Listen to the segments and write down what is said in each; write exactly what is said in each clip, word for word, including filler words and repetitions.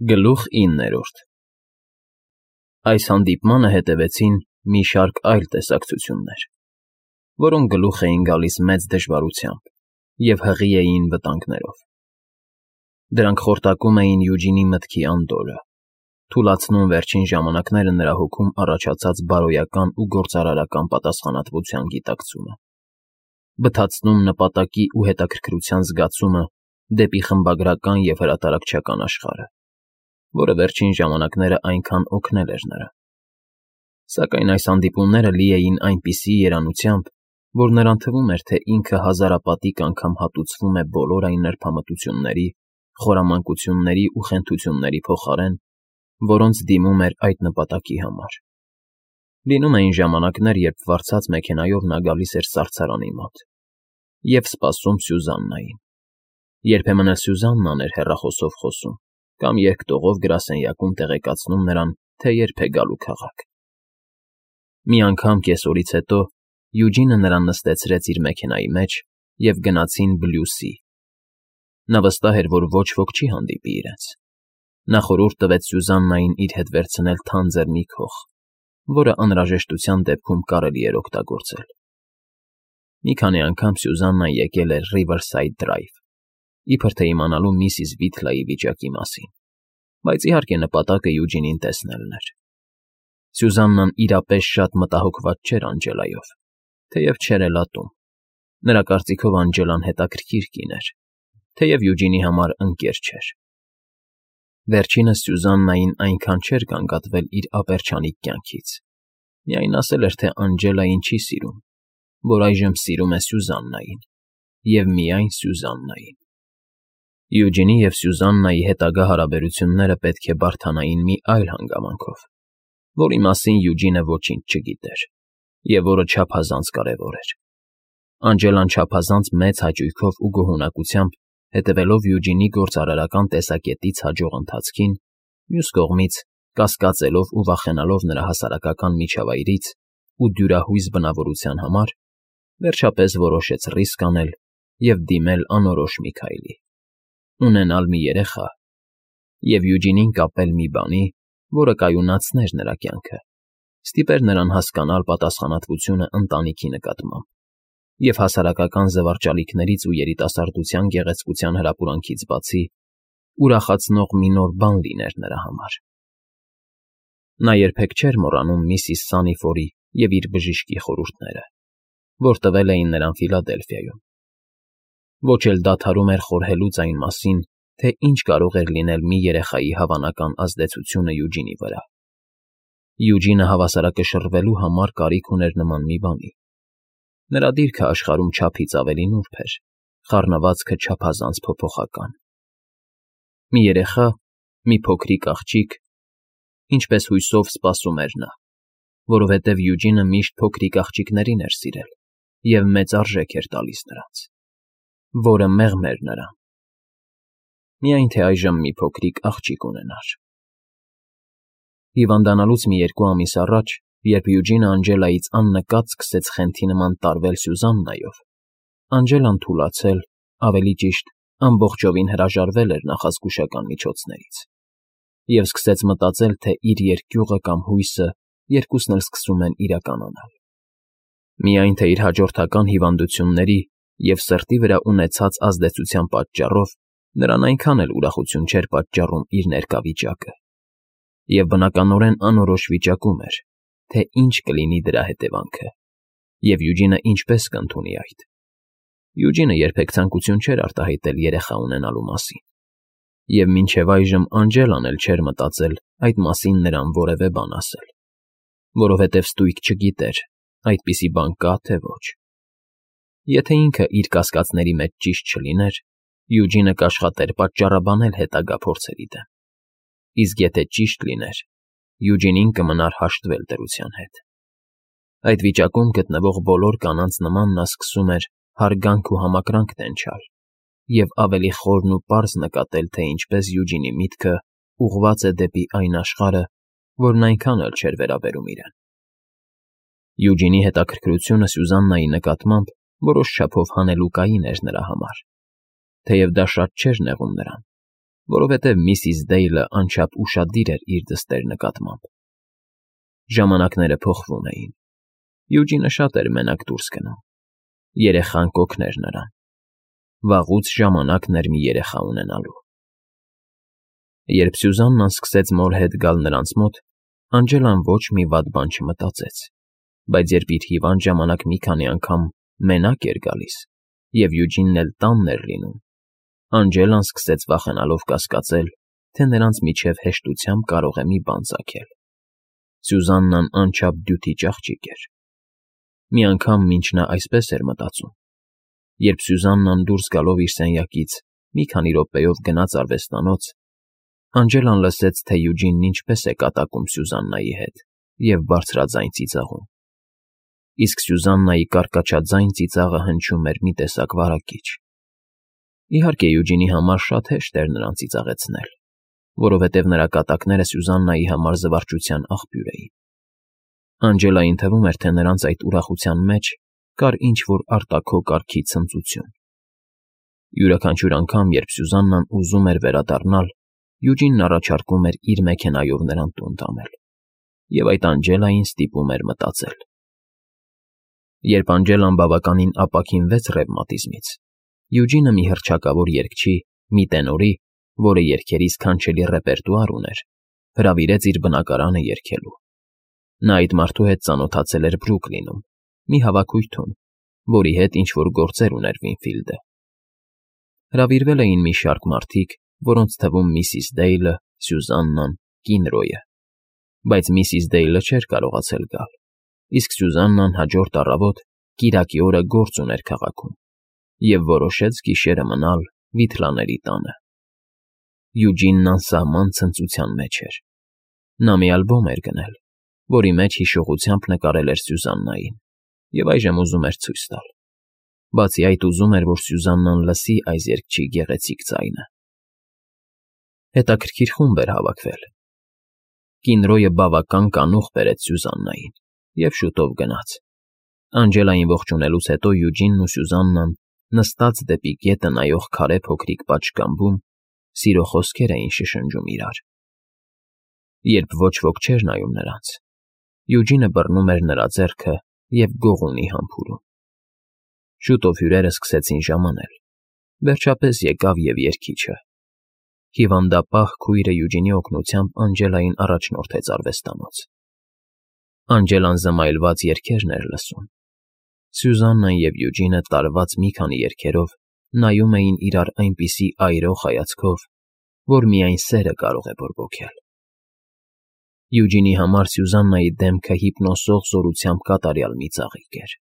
Գլուխ իններորդ Այս հանդիպմանը հետևեցին մի շարք այլ տեսակցություններ, որոնք գլուխ էին գալիս մեծ դժվարությամբ և հղի էին վտանգներով. դրանք խորտակում էին Յուջինի մտքի անդորրը, թուլացնում վերջին ժամանակները նրա հոգում առաջացած բարոյական ու գործարարական պատասխանատվության գիտակցումը, բթացնում նպատակի ու հետաքրքրության զգացումը դեպի խմբագրական և հրատարակչական աշխարհը, որը վերջին ժամանակները այնքան օգնել էր նրան. Սակայն այս հանդիպումները լի էին այնպիսի երանությամբ, որ նրան թվում էր, թե ինքը հազարապատիկ անգամ հատուցվում է բոլոր այն նրբամտությունների, խորամանկությունների ու խենթությունների փոխարեն, որոնց դիմում էր այդ նպատակի համար. Լինում էին ժամանակներ, երբ վարձած մեքենայով նա գալիս էր սառցարանի մոտ և սպասում Սյուզաննային. երբեմն էլ Սյուզաննան էր հեռախոսով խոսում կամ երկտողով գրասենյակում տեղեկացնում նրան, թե երբ է գալու քաղաք։ Մի անգամ կեսօրից հետո Յուջինը նրան նստեցրեց իր մեքենայի մեջ և գնացին Բլյուսի. նա վստահ էր, որ ոչ ոք չի հանդիպի իրենց։ Նա խորհուրդ տվեց Սյուզաննային իր հետ վերցնել թանձր մի քող, որը անհրաժեշտության դեպքում կարելի էր օգտագործել։ Մի քանի անգամ Սյուզաննան եկել էր Riverside Drive, իբր թե իմանալու միսիս Վիթլայի վիճակի մասին, բայց իհարկե նպատակը Յուջինին տեսնելն էր։ Սյուզաննան իրապես շատ մտահոգված չէր Անջելայով, թեև չէր էլ ատում. նրա կարծիքով Անջելան հետաքրքիր կին էր, թեև Յուջինի համար ընկեր չէր։ Վերջինս Սյուզաննային այնքան չէր գանգատվել իր ապերչանիկ կյանքից, միայն ասել էր, թե Անջելային չի սիրում, որ այժմ սիրում է Սյուզաննային և միայն Սյուզաննային։ Յուջինի և Սյուզաննայի հետագա հարաբերությունները պետք է բարդանային մի այլ հանգամանքով, որի մասին Յուջինը ոչինչ չգիտեր և որը չափազանց կարևոր էր։ Անջելան չափազանց մեծ հաճույքով ու գոհունակությամբ, հետևելով Յուջինի գործարարական տեսակետից հաջող ընթացքին, մյուս կողմից կասկածելով ու վախենալով նրա հասարակական միջավայրից ու դյուրահույս բնավորության համար, վերջապես որոշեց ռիսկ անել և դիմել անորոշ մի քայլի՝ ունենալ մի երեխա և Յուջինին կապել մի բանի, որը կայունացներ նրա կյանքը, ստիպեր նրան հասկանալ պատասխանատվությունը ընտանիքի նկատմամբ և հասարակական զվարճալիքներից ու երիտասարդության գեղեցկության հրապուրանքից բացի ուրախացնող մի նոր բան լիներ նրա համար։ Նա երբեք չէր մոռանում միսիս Սանիֆորի և իր բժիշկի խորհուրդները, որ տվել էին նրան Ֆիլադելֆիայում։ Ոչ էլ դադարում էր խորհելուց այն մասին, թե ինչ կարող էր լինել մի երեխայի հավանական ազդեցությունը Յուջինի վրա։ Յուջինը հավասարակշռվելու համար կարիք ուներ նման մի բանի։ Նրա դիրքը աշխարհում չափից ավելի նուրբ էր, խառնվածքը չափազանց փոփոխական։ Մի երեխա, մի փոքրիկ աղջիկ, ինչպես հույսով սպասում էր նա, որովհետև Յուջինը միշտ փոքրիկ աղջիկներին էր սիրել և մեծ արժեք էր տալիս նրանց, որը մեղմ էր նրան, միայն թե այժմ մի փոքրիկ աղջիկ ունենար։ Հիվանդանալուց մի երկու ամիս առաջ, երբ Յուջինը Անջելայից աննկատ սկսեց խենթի նման տարվել Սյուզաննայով, Անջելան թուլացել, ավելի ճիշտ, ամբողջովին հրաժարվել էր նախազգուշական միջոցներից և սկսեց մտածել, թե իր երկյուղը կամ հույսը երկուսն էլ սկսում են իրականանալ։ Միայն թե իր հաջորդական հիվանդությունների և սրտի վրա ունեցած ազդեցության պատճառով նրան այնքան էլ ուրախություն չէր պատճառում իր ներկա վիճակը, և բնականորեն անորոշ վիճակում էր, թե ինչ կլինի դրա հետևանքը և Յուջինը ինչպես կընդունի այդ։ Յուջինը երբեք ցանկություն չէր արտահայտել երեխա ունենալու մասին, և մինչև այժմ Անջելան էլ չէր մտածել այդ մասին նրան որևէ բան ասել, որովհետև ստույգ չգիտեր՝ այդպիսի բան կա, թե ոչ։ Եթե ինքը իր կասկածների մեջ ճիշտ չլիներ, Յուջինը կաշխատեր պատճառաբանել հետագա փորձերի դեմ, իսկ եթե ճիշտ լիներ, Յուջինին կմնար հաշտվել դրության հետ։ Այդ վիճակում գտնվող բոլոր կանանց նման նա սկսում էր հարգանք ու համակրանք տենչալ և ավելի խորն ու պարզ նկատել, թե ինչպես Յուջինի միտքը ուղղված է դեպի այն աշխարհը, որն այնքան էլ չէր վերաբերում իրեն։ Յուջինի հետաքրքրությունը Սյուզաննայի նկատմամբ որոշ չափով հանելուկային էր նրա համար, թեև դա շատ չէր նեղում նրան, որովհետև միսիս Դեյլը անչափ ուշադիր էր իր դստեր նկատմամբ։ Ժամանակները փոխվում էին։ Յուջինը շատ էր մենակ դուրս գնում։ Երեխան կօգներ նրան։ Վաղուց ժամանակն էր մի երեխա ունենալու։ Երբ Սյուզաննան սկսեց մոր հետ գալ նրանց մոտ, Անջելան ոչ մի վատ բան չմտածեց, բայց երբ իր հիվանդ ժամանակ մի քանի անգամ մենակ էր գալիս, և Յուջինն էլ տանն էր լինում, Անջելան սկսեց վախենալով կասկածել, թե նրանց միջև հեշտությամբ կարող է մի բան ծագել։ Սյուզաննան անչափ դյութիչ աղջիկ էր։ Մի անգամ, մինչ նա այսպես էր մտածում, երբ Սյուզաննան դուրս գալով իր սենյակից մի քանի րոպեով գնաց արվեստանոց, Անջելան լսեց, թե Յուջինն ինչպես է կատակում Սյուզաննայի հետ և բարձրաձայն ծիծաղում։ Իսկ Սյուզաննայի կարկաչաձայն ծիծաղը հնչում էր մի տեսակ վարակիչ։ Իհարկե, Յուջինի համար շատ հեշտ էր նրան ծիծաղեցնել, որովհետև նրա կատակները Սյուզաննայի համար զվարճության աղբյուր էին։ Անջելային թվում էր, թե նրանց այդ ուրախության մեջ կար ինչ-որ արտաքո կարգի ցնծություն։ Յուրաքանչյուր անգամ, երբ Սյուզաննան ուզում էր վերադառնալ, Յուջինն առաջարկում էր իր մեքենայով նրան տուն տանել, և այդ Անջելային ստիպում էր մտածել։ Երբ Անջելան բավականին ապաքինվեց ռևմատիզմից, Յուջինը մի հռչակավոր երգչի, մի տենորի, որը երգերի սքանչելի ռեպերտուար ուներ, հրավիրեց իր բնակարանը երգելու։ Նա այդ մարդու հետ ծանոթացել էր Բրուքլինում, մի հավաքույթում, որի հետ ինչ-որ գործեր ուներ Վինֆիլդը։ Հրավիրվել էին մի շարք մարդիկ, որոնց թվում միսիս Դեյլը, Սյուզաննան, Կինրոյը, բայց միսիս Դեյլը չէր կարողացել գալ, իսկ Սյուզաննան հաջորդ առավոտ կիրակի օրը գործ ուներ քաղաքում և որոշեց գիշերը մնալ Վիթլաների տանը։ Յուջինն անսահման ցնծության մեջ էր։ Նա մի ալբոմ էր գնել, որի մեջ հիշողությամբ նկարել էր Սյուզաննային, և այժմ ուզում էր ցույց տալ։ Բացի այդ, ուզում էր, որ Սյուզաննան լսի այս երգչի գեղեցիկ ձայնը։ Հետաքրքիր խումբ էր հավաքվել։ Կինրոյը բավական կանուխ բերեց Սյուզաննային և շուտով գնաց։ Անջելային ողջունելուց հետո Յուջինն ու Սյուզաննան, նստած դեպի գետը նայող քարե փոքրիկ պատշգամբում, սիրո խոսքեր էին շշնջում իրար։ Երբ ոչ ոք չէր նայում նրանց, Յուջինը բռնում էր նրա ձեռքը և գողունի համբուրում։ Շուտով հյուրերը սկսեցին ժամանել։ Վերջապես եկավ և երգիչը։ Հիվանդապահ քույրը Յուջինի օգնությամբ Անջելային առաջնորդեց արվեստանոց։ Անջելան զմայլված երգերն էր լսում։ Սյուզաննան և Յուջինը տարված մի քանի երգերով նայում էին իրար այնպիսի այրող հայացքով, որ միայն սերը կարող է բորբոքել։ Յուջինի համար Սյուզաննայի դեմքը հիպնոսող զորությամբ կատարյալ մի ծաղիկ էր։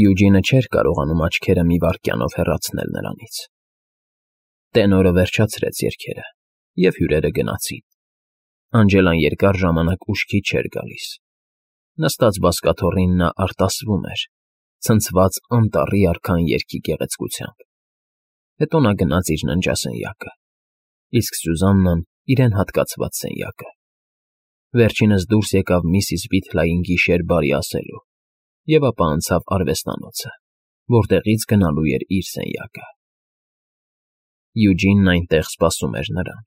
Յուջինը չէր կարողանում աչքերը մի վայրկյանով հեռացնել նրանից։ Տենորը վերջացրեց երգերը, և հյուրերը գնացին։ Անջելան երկար ժամանակ ուշքի չէր գալիս։ Նստած բազկաթոռին նա արտասվում էր, ցնցված անտառի արքան երգի գեղեցկությամբ։ Հետո նա գնաց իր ննջասենյակը, իսկ Սյուզաննան իրեն հատկացված սենյակը։ Վերջինս դուրս եկավ միսիս Վիթլային գիշեր բարի ասելու և ապա անցավ արվեստանոցը, որտեղից գնալու էր իր սենյակը։ Յուջինն այնտեղ սպասում էր նրան։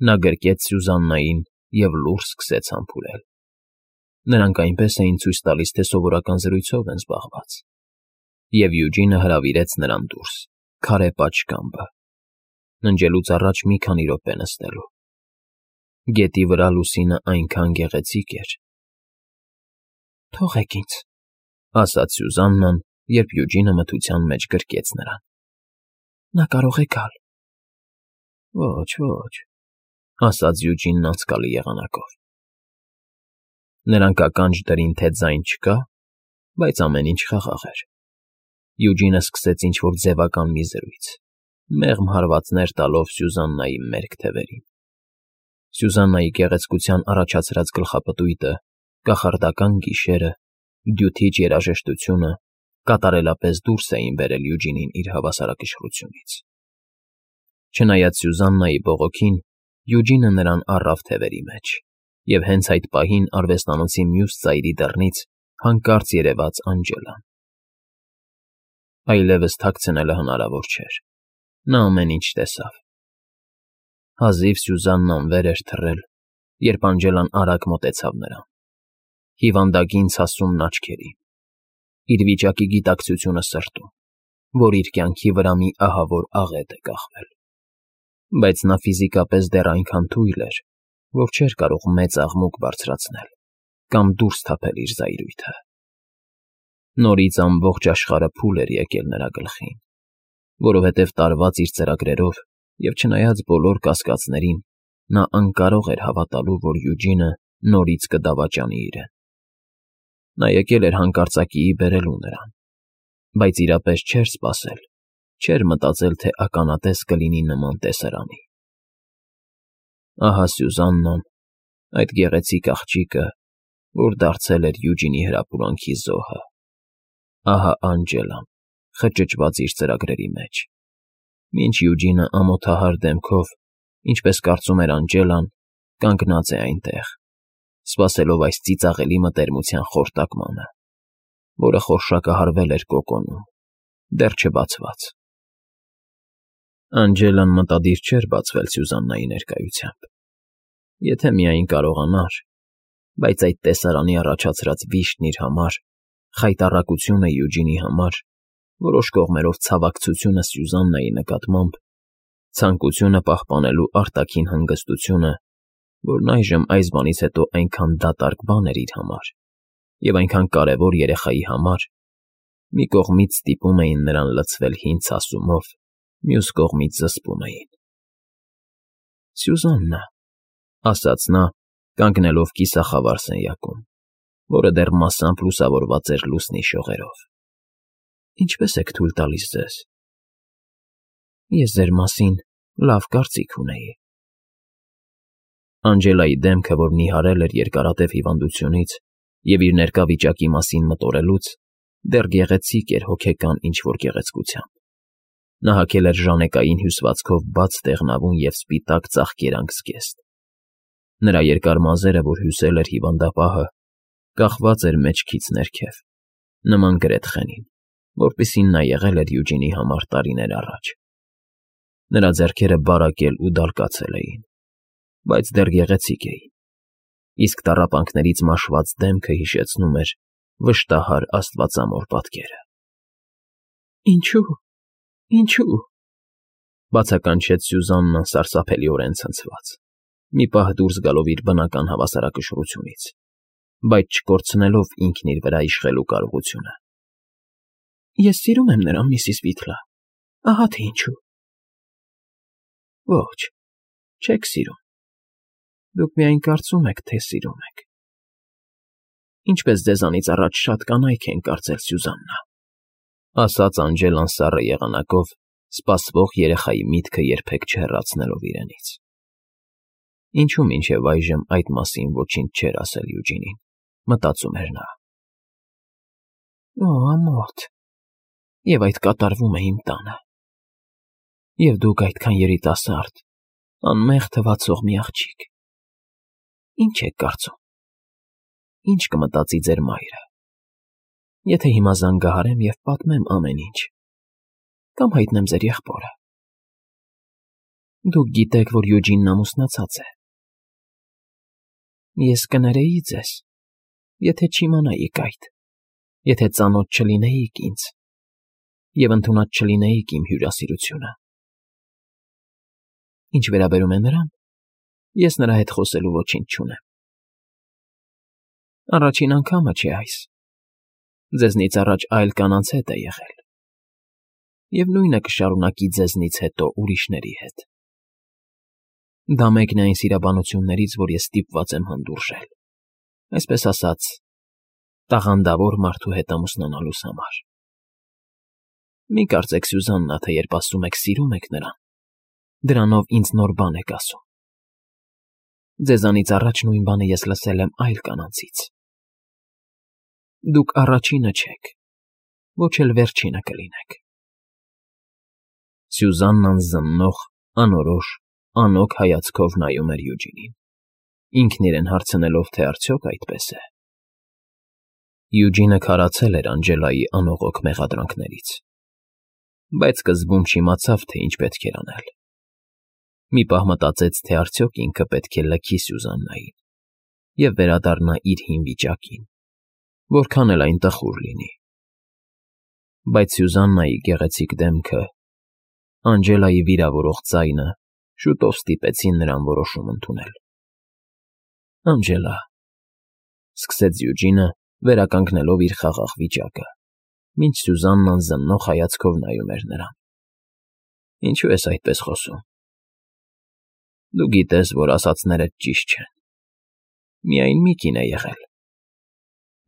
Նա գրկեց Սյուզաննային և լուռ սկսեց համբուրել։ Նրանք այնպես էին ցույց տալիս, թե սովորական զրույցով են զբաղված։ Եվ Յուջինը հրավիրեց նրան դուրս, քարե պատշգամբը, ննջելուց առաջ մի քանի րոպե նստելու։ Գետի վրա լուսինը այնքան գեղեցիկ էր։ «Թողեք ինձ», ասաց Սյուզաննան, երբ Յուջինը մթության մեջ գրկեց նրան։ «Նա կարող է գալ»։ «Ոչ, ոչ», ասաց Յուջինն անցկալի եղանակով։ Նրանք ականջ դրին, թե ձայն չկա, բայց ամեն ինչ խաղաղ էր։ Յուջինը սկսեց ինչ-որ ձևական մի զրույց, մեղմ հարվածներ տալով Սյուզաննայի մերկ թևերին։ Սյուզաննայի գեղեցկության առաջացրած գլխապտույտը, կախարդական գիշերը, դյութիչ երաժշտությունը կատարելապես դուրս էին բերել Յուջինին իր հավասարակշռությունից։ Չնայած Սյուզաննայի բողոքին, Յուջինը նրան առավ թևերի մեջ, և հենց այդ պահին արվեստանոցի մյուս ծայրի դռնից հանկարծ երևաց Անջելան։ Այլևս թաքցնելը հնարավոր չէր։ Նա ամեն ինչ տեսավ։ Հազիվ Սյուզաննան վեր էր թռել, երբ Անջելան արագ մոտեցավ նրան, հիվանդագին ցասումն աչքերին, իր վիճակի գիտակցությունը սրտում, որ իր կյանքի վրա մի ահավոր աղետ է կախվել, բայց նա ֆիզիկապես դեռ այնքան թույլ էր, որ չէր կարող մեծ աղմուկ բարձրացնել կամ դուրս թափել իր զայրույթը։ Նորից ամբողջ աշխարհը փուլ էր եկել նրա գլխին, որովհետև տարված իր ծրագրերով և չնայած բոլոր կասկածներին, նա անկարող էր հավատալու, որ Յուջինը նորից կդավաճանի իրեն։ Նա եկել էր հանկարծակիի բերելու նրան, բայց իրապես չէր սպասել, չէր մտածել, թե ականատես կլինի նման տեսարանի։ Ահա Սյուզաննան, այդ գեղեցիկ աղջիկը, որ դարձել էր Յուջինի հրապուրանքի զոհը։ Ահա Անջելան, խճճված իր ծրագրերի մեջ, մինչ Յուջինը ամոթահար դեմքով, ինչպես կարծում էր Անջելան, կանգնած է այնտեղ, սպասելով այս ծիծաղելի մտերմության խորտակմանը, որը խորշակահարվել էր կոկոնում, դեռ չբացված։ Անջելան մտադիր չէր բացվել Սյուզաննայի ներկայությամբ, եթե միայն կարողանար, բայց այդ տեսարանի առաջացրած վիշտն իր համար, խայտառակությունը Յուջինի համար, որոշ կողմերով ցավակցությունը Սյուզաննայի նկատմամբ, ցանկությունը պահպանելու արտաքին հանգստությունը, որն այժմ այս բանից հետո այնքան դատարկ բան էր իր համար և այնքան կարևոր երեխայի համար, մի կողմից ստիպում էին նրան լցվել հին ցասումով, մյուս կողմից զսպում էին։ ֊ Սյուզաննա, ֊ ասաց նա, կանգնելով կիսախավար սենյակում, որը դեռ մասամբ լուսավորված էր լուսնի շողերով։ Ինչպե՞ս եք թույլ տալիս ձեզ։ Ես ձեր մասին լավ կարծիք ունեի։ Անջելայի դեմքը, որ նիհարել էր երկարատև հիվանդությունից և իր ներկա վիճակի մասին մտորելուց, դեռ գեղեցիկ էր հոգեկան ինչ֊որ գեղեցկությամբ։ Նա հագել էր ժանեկային հյուսվածքով բաց դեղնավուն և սպիտակ ծաղկերանգ զգեստ։ Նրա երկար մազերը, որ հյուսել էր հիվանդապահը, կախված էր մեջքից ներքև, նման գրեթխենին, որպիսին նա եղել էր Յուջինի համար տարիներ առաջ։ Նրա ձեռքերը բարակել ու դալկացել էին, բայց դեռ գեղեցիկ էին, իսկ տառապանքներից մաշված դեմքը հիշեցնում էր վշտահար աստվածամոր պատկերը։ Ինչո՞ւ, ինչո՞ւ, բացականչեց Սյուզաննան սարսափելիորեն ցնցված, մի պահ դուրս գալով իր բնական հավասարակշռությունից, բայց չկորցնելով ինքն իր վրա իշխելու կարողությունը։ Ես սիրում եմ նրան, միսիս Վիթլա, ահա թե ինչու։ Ոչ, չեք սիրում, դուք միայն կարծում եք, թե սիրում եք։ Ինչպես ձեզանից առաջ շատ կանայք են կարծել, Սյուզաննա, ասաց Անջելան սառը եղանակով, սպասվող երեխայի միտքը երբեք չհեռացնելով իրենից։ Ինչու մինչև այժմ այդ մասին ոչինչ չէր ասել Յուջինին, մտածում էր նա։ Օ, ամոթ, և այդ կատարվում է իմ տանը։ Եվ դուք այդքան երիտասարդ, անմեղ թվացող մի աղջիկ։ Ինչ եք կարծում, ինչ կմտածի ձեր մայրը, եթե հիմա զանգահարեմ և պատմեմ ամեն ինչ, կամ հայտնեմ ձեր եղբորը։ Դուք գիտեք, որ Յուջինն ամուսնացած է։ Ես կներեի ձեզ, եթե չիմանայիք այդ, եթե ծանոթ չլինեիք ինձ և ընդունած չլինեիք իմ հյուրասիրությունը։ Ինչ վերաբերում է նրան, ես նրա հետ խոսելու ոչինչ չունեմ։ Առաջին անգամը չէ այս, ձեզնից առաջ այլ կանանց հետ է եղել, և նույնը կշարունակի ձեզնից հետո ուրիշների հետ։ Դա մեկն է այն սիրաբանություններից, որ ես ստիպված եմ հանդուրժել, այսպես ասած, տաղանդավոր մարդու հետ ամուսնանալուս համար։ Մի կարծեք, Սյուզաննա, թե երբ ասում եք սիրում եք նրան, դրանով ինձ նոր բան եք ասում։ Ձեզանից առաջ նույն բանը ես լսել եմ այլ կանանցից։ Դուք առաջինը չեք, ոչ էլ վերջինը կլինեք։ Սյուզաննան զննող, անորոշ, անօգ հայացքով նայում էր Յուջինին, ինքն իրեն հարցնելով, թե արդյոք այդպես է։ Յուջինը քարացել էր Անջելայի անողոք մեղադրանքներից, բայց սկզբում չիմացավ, թե ինչ պետք էր անել։ Մի պահ մտածեց, թե արդյոք ինքը պետք է լքի Սյուզաննային և վերադառնա իր հին վիճակին, որքան էլ այն տխուր լինի։ Բայց Սյուզաննայի գեղեցիկ դեմքը, Անջելայի վիրավորող ձայնը շուտով ստիպեցին նրան որոշում ընդունել։ ֊ Անջելա,֊ սկսեց Յուջինը, վերականգնելով իր խաղաղ վիճակը, մինչ Սյուզաննան զննող հայացքով նայում էր նրան։ Ինչո՞ւ ես այդպես խոսում։ Դու գիտես, որ ասածներդ ճիշտ չեն։ Միայն մի կին է եղել։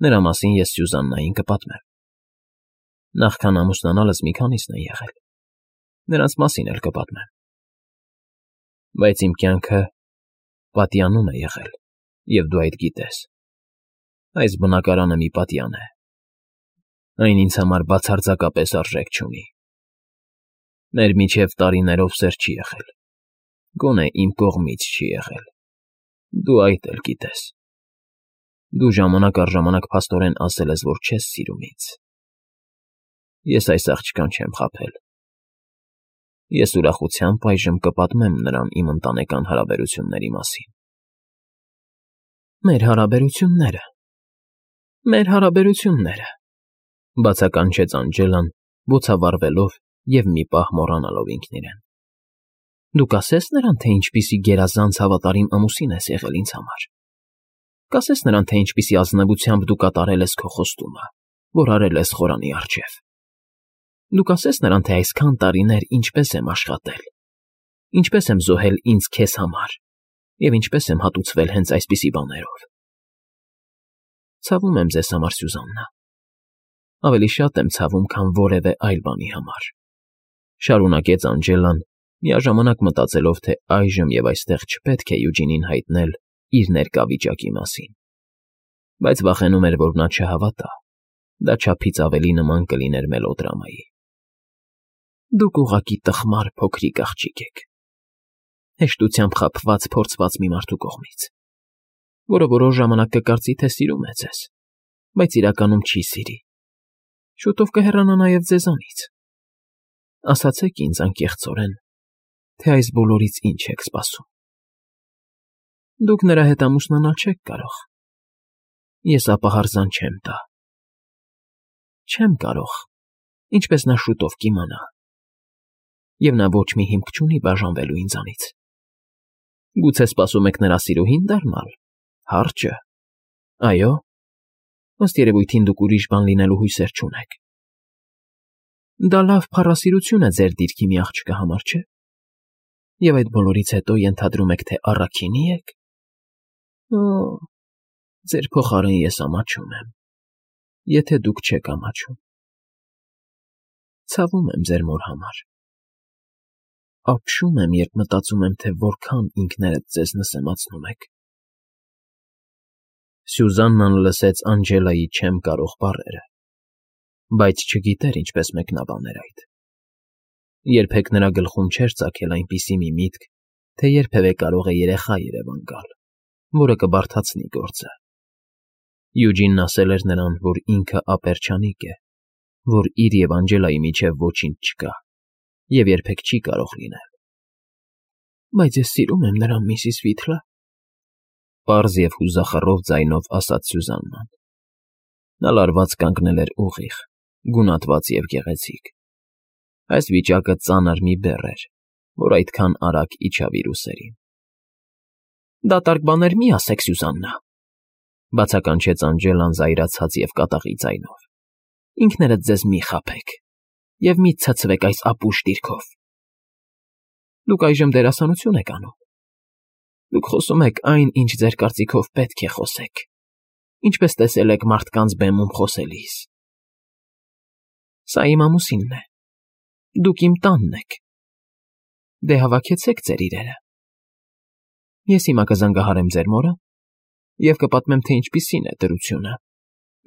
Նրա մասին ես Սյուզաննային կպատմեմ։ Նախքան ամուսնանալս մի քանիսն են եղել։ Նրանց մասին էլ կպատմեմ։ Բայց իմ կյանքը պատյանում է եղել, և դու այդ գիտես։ Այս բնակարանը մի պատյան է։ Այն ինձ համար բացարձակապես արժեք չունի։ Մեր միջև տարիներով սեր չի եղել։ Գոնե իմ կողմից չի եղել։ Դու այդ էլ գիտես։ Դու ժամանակ առ ժամանակ փաստորեն ասել ես, որ չես սիրում ինձ։ Ես այս աղջկան չեմ խաբել։ Ես ուրախությամբ այժմ կպատմեմ նրան իմ ընտանեկան հարաբերությունների մասին։ Մեր հարաբերությունները… Մեր հարաբերությունները… Բացականչեց Անջելան, բոցավառվելով և մի պահ մոռանալով ինքն իրեն։ Դու կասես նրան, թե ինչպիսի գերազանց հավատարիմ ամուսին ես եղել ինձ համար։ Կասես նրան, թե ինչպիսի ազնվությամբ դու կատարել ես քո խոստումը, որ արել ես խորանի առջև։ Դու կասես նրան, թե այսքան տարիներ ինչպես եմ աշխատել, ինչպես եմ զոհել ինձ քեզ համար և ինչպես եմ հատուցվել հենց այսպիսի բաներով։ Ցավում եմ ձեզ համար, Սյուզաննա։ Ավելի շատ եմ ցավում, քան որևէ այլ բանի համար,֊ շարունակեց Անջելան, միաժամանակ մտածելով, թե այժմ և այստեղ չպետք է Յուջինին հայտնել իր ներկա վիճակի մասին, բայց վախենում էր, որ նա չհավատա, դա չափից ավելի նման կլիներ մելոդրամայի։ Դուք ուղղակի տխմար փոքրիկ աղջիկ եք, հեշտությամբ խաբված փորձված մի մարդու կողմից, որը որոշ ժամանակ կկարծի, թե սիրում է ձեզ, բայց իրականում չի սիրի, շուտով կհեռանա նաև ձեզանից։ Ասացեք ինձ անկեղծորեն, թե այս բոլորից ինչ եք սպասում։ Դուք նրա հետ ամուսնանալ չեք կարող։ Ես ապահարզան չեմ տա։ Չեմ կարող, ինչպես նա շուտով կիմանա։ Եվ նա ոչ մի հիմք չունի բաժանվելու ինձանից։ Գուցե սպասում եք նրա սիրուհի՞ն դառնալ, հարճը։ Այո՞։ Ըստ երևույթին դուք ուրիշ բան լինելու հույսեր չունեք։ Դա լավ փառասիրություն է ձեր դիրքի մի աղջկա համար, չէ՞։ Եվ այդ բոլորից հետո ենթադրում եք, թե առաքինի եք։ Օ՜, ձեր փոխարեն ես ամաչում եմ, եթե դուք չեք ամաչում։ Ցավում եմ ձեր մոր համար։ Ապշում եմ, երբ մտածում եմ, թե որքան ինքներդ ձեզ նսեմացնում եք։ Սյուզաննան լսեց Անջելայի «չեմ կարող» բառերը, բայց չգիտեր ինչպես մեկնաբաներ այդ։ Երբեք նրա գլխում չէր ծագել այնպիսի մի միտք, թե երբևէ կարող է երեխա երևան գալ, որը կբարդացնի գործը։ Յուջինն ասել էր նրան, որ ինքը ապերջանիկ է, որ իր և Անջելայի միջև ոչինչ չկա և երբեք չի կարող լինել։ Բայց ես սիրում եմ նրան, միսիս Վիթլը,֊ պարզ և հուզախռով ձայնով ասաց Սյուզաննան։ Նա լարված կանգնել էր ուղիղ, գունատված և գեղեցիկ։ Այս վիճակը ծանր մի բեռ էր, որ այդքան արագ իջավ իր ուսերին։ Դատարկ բաներ մի ասեք, Սյուզաննա,֊ բացականչեց Անջելան զայրացած և կատաղի ձայնով։ Ինքներդ ձեզ մի խաբեք և մի ցցվեք այս ապուշ դիրքով։ Դուք այժմ դերասանություն եք անում։ Դուք խոսում եք այն, ինչ ձեր կարծիքով պետք է խոսեք, ինչպես տեսել եք մարդկանց բեմում խոսելիս։ Սա իմ ամուսինն է։ Դուք իմ տանն եք։ Դե հավաքեցեք ձեր իրերը։ Ես հիմա կզանգահարեմ ձեր մորը և կպատմեմ, թե ինչպիսին է դրությունը,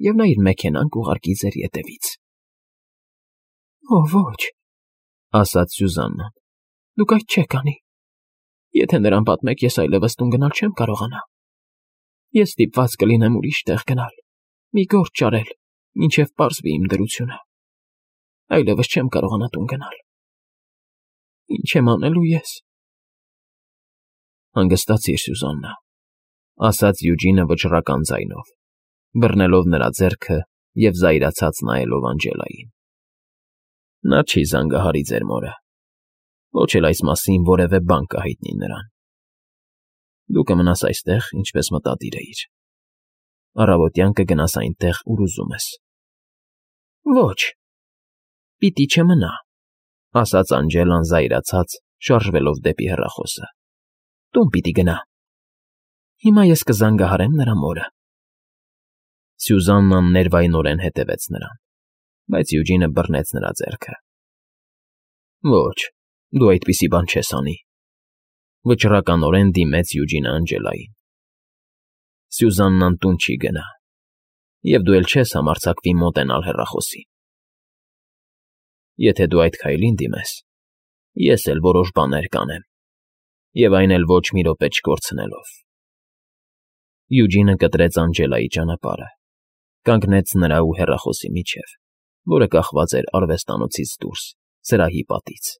և նա իր մեքենան կուղարկի ձեր ետևից։ Օ, ոչ,֊ ասաց Սյուզաննան, դուք այդ չեք անի։ Եթե նրան պատմեք, ես այլևս տուն գնալ չեմ կարողանա։ Ես ստիպված կլինեմ ուրիշ տեղ գնալ, մի գործ ճարել, մինչև պարզվի իմ դրությունը։ Այլևս չեմ կարողանա տուն գնալ։ Ինչ եմ անելու ես։ Հանգստացիր, Սյուզաննա,֊ ասաց Յուջինը վճռական ձայնով, բռնելով նրա ձեռքը և զայրացած նայելով Անգելային։ Նա չի զանգահարի ձեր մորը, ոչ էլ այս մասին որևէ բան կհայտնի նրան։ Դու կմնաս այստեղ, ինչպես մտադիր էիր։ Առավոտյան կգնաս այնտեղ, ուր ուզում ես։ Ոչ, պիտի չմնա,֊ ասաց Անգելան զայրացած, շարժվելով դեպի հեռախոսը։ Տուն պիտի գնա։ Հիմա ես կզանգահարեմ նրա մորը։ Սյուզաննան ներվայնորեն հետևեց նրան, բայց Յուջինը բռնեց նրա ձեռքը։ Ոչ, դու այդպիսի բան չես անի,֊ վճռականորեն դիմեց Յուջինը Անգելային։ Սյուզաննան տուն չի գնա, և դու էլ չես համարձակվի մոտենալ հեռախոսին։ Եթե դու այդ քայլին դիմես, ես էլ որոշ բաներ կանեմ, և այն էլ ոչ մի րոպե չկորցնելով։ Յուջինը կտրեց Անգելայի ճանապարհը, կանգնեց նրա ու հեռախոսի միջև, որը կախված էր արվեստանոցից դուրս, սրահի պատից։